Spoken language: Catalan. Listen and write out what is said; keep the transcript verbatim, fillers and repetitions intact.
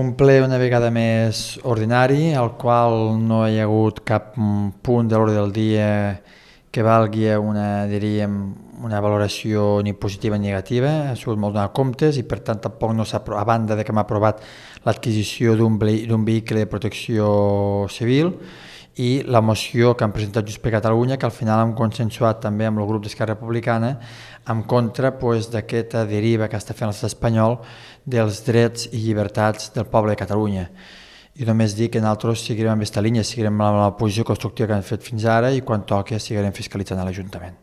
Un ple una vegada més ordinari, al qual no hi ha hagut cap punt de l'ordre del dia que valgui una, diríem, una valoració ni positiva ni negativa. Ha sigut molt donar comptes i per tant tampoc no s'ha, a banda de que m'ha aprovat l'adquisició d'un vehicle de protecció civil i la moció que han presentat Junts per Catalunya, que al final hem consensuat també amb el grup d'Esquerra Republicana en contra pues, d'aquesta deriva que està fent l'estat espanyol dels drets i llibertats del poble de Catalunya. I només dir que nosaltres seguirem amb aquesta línia, seguirem amb la posició constructiva que hem fet fins ara i quan toqui seguirem fiscalitzant a l'Ajuntament.